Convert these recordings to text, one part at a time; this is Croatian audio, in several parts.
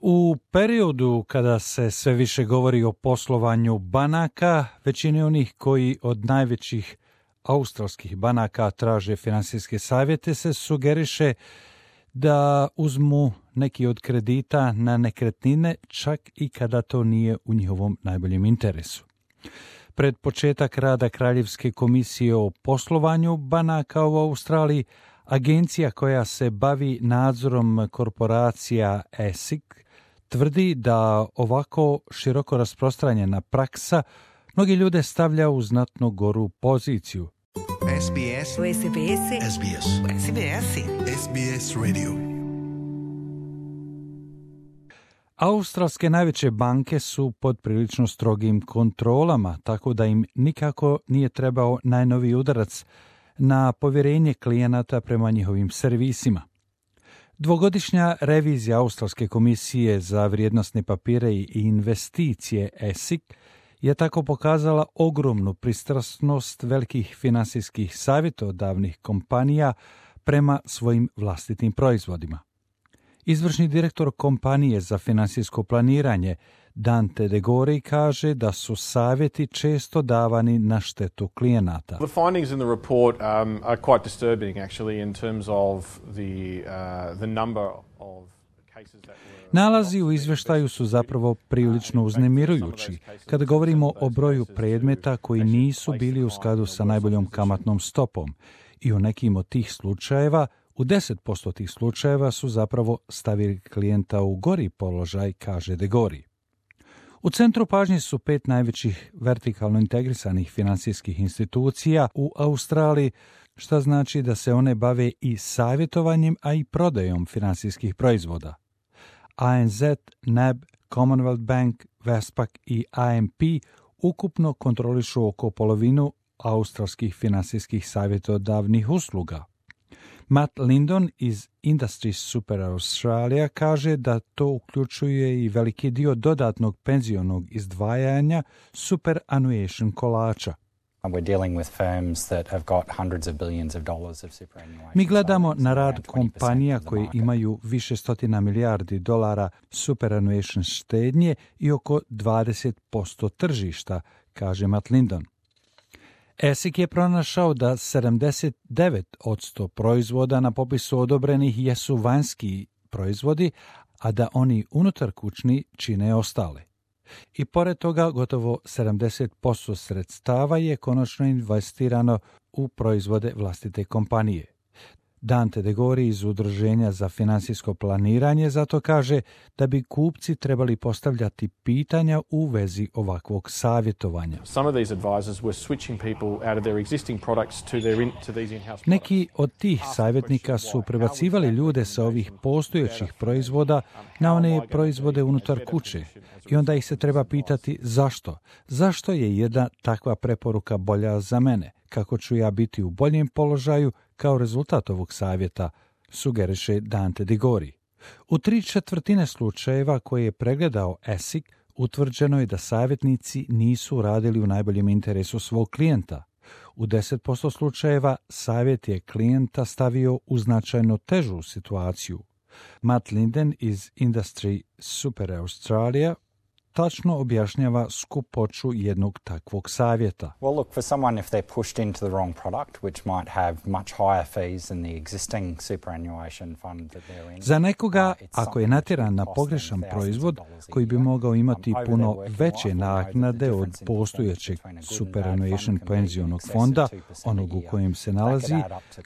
U periodu kada se sve više govori o poslovanju banaka, većini onih koji od najvećih australskih banaka traže finansijske savjete se sugeriše da uzmu neki od kredita na nekretnine, čak i kada to nije u njihovom najboljem interesu. Pred početak rada Kraljevske komisije o poslovanju banaka u Australiji, agencija koja se bavi nadzorom korporacija ASIC tvrdi da ovako široko rasprostranjena praksa mnogi ljude stavlja u znatno goru poziciju. SBS Radio. Australske najveće banke su pod prilično strogim kontrolama, tako da im nikako nije trebao najnoviji udarac na povjerenje klijenata prema njihovim servisima. Dvogodišnja revizija Australske komisije za vrijednosne papire i investicije ASIC je tako pokazala ogromnu pristrasnost velikih finansijskih savjetodavnih kompanija prema svojim vlastitim proizvodima. Izvršni direktor kompanije za finansijsko planiranje Dante De Gori kaže da su savjeti često davani na štetu klijenata. The findings in the report are quite disturbing actually in terms of the number of cases that were... Nalazi u izvještaju su zapravo prilično uznemirujući kada govorimo o broju predmeta koji nisu bili u skladu sa najboljom kamatnom stopom i u nekim od tih slučajeva, u 10% tih slučajeva su zapravo stavili klijenta u gori položaj, kaže De Gori. U centru pažnje su 5 najvećih vertikalno integrisanih financijskih institucija u Australiji, što znači da se one bave i savjetovanjem, a i prodajom financijskih proizvoda. ANZ, NAB, Commonwealth Bank, Westpac i AMP ukupno kontrolišu oko polovinu australskih financijskih savjetodavnih usluga. Matt Lindon iz Industry Super Australia kaže da to uključuje i veliki dio dodatnog penzionog izdvajanja superannuation kolača. Mi gledamo na rad kompanija koje imaju više stotina milijardi dolara superannuation štednje i oko 20% tržišta, kaže Matt Lindon. ASIC je pronašao da 79% proizvoda na popisu odobrenih jesu vanjski proizvodi, a da oni unutarkućni čine ostale. I pored toga gotovo 70% sredstava je konačno investirano u proizvode vlastite kompanije. Dante De Gori iz Udruženja za financijsko planiranje zato kaže da bi kupci trebali postavljati pitanja u vezi ovakvog savjetovanja. Neki od tih savjetnika su prebacivali ljude sa ovih postojećih proizvoda na one proizvode unutar kuće i onda ih se treba pitati zašto. Zašto je jedna takva preporuka bolja za mene? Kako ću ja biti u boljem položaju kao rezultat ovog savjeta, sugeriše Dante De Gori. U 3/4 slučajeva koje je pregledao ASIC, utvrđeno je da savjetnici nisu radili u najboljem interesu svog klijenta. U 10% slučajeva savjet je klijenta stavio u značajno težu situaciju. Matt Linden iz Industry Super Australia tačno objašnjava skupoću jednog takvog savjeta. Well, look, for someone if they're pushed into the wrong product, which might have much higher fees than the existing superannuation fund that they're in. Za nekoga, ako je natjeran na pogrešan proizvod koji bi mogao imati puno veće naknade od postojećeg superannuation penzionog fonda, onog u kojem se nalazi,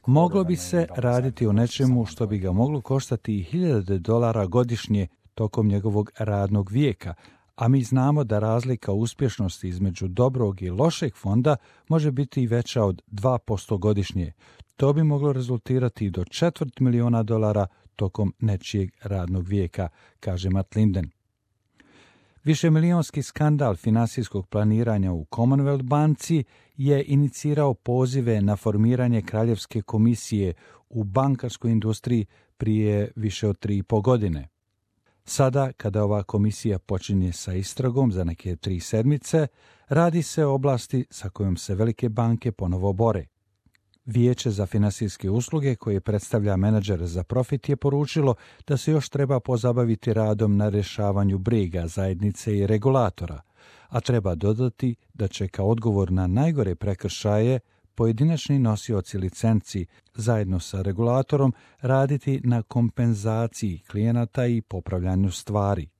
moglo bi se raditi o nečemu što bi ga moglo koštati $1,000 godišnje tokom njegovog radnog vijeka, a mi znamo da razlika uspješnosti između dobrog i lošeg fonda može biti i veća od 2% godišnje. To bi moglo rezultirati do $250,000 tokom nečijeg radnog vijeka, kaže Matt Linden. Višemilijonski skandal finansijskog planiranja u Commonwealth banci je inicirao pozive na formiranje Kraljevske komisije u bankarskoj industriji prije više od 3,5 godine. Sada, kada ova komisija počinje sa istragom za neke 3 sedmice, radi se o oblasti sa kojom se velike banke ponovo bore. Vijeće za finansijske usluge, koje predstavlja menadžer za profit, je poručilo da se još treba pozabaviti radom na rješavanju briga zajednice i regulatora, a treba dodati da će kao odgovor na najgore prekršaje pojedinačni nosioci licenci zajedno sa regulatorom raditi na kompenzaciji klijenata i popravljanju stvari.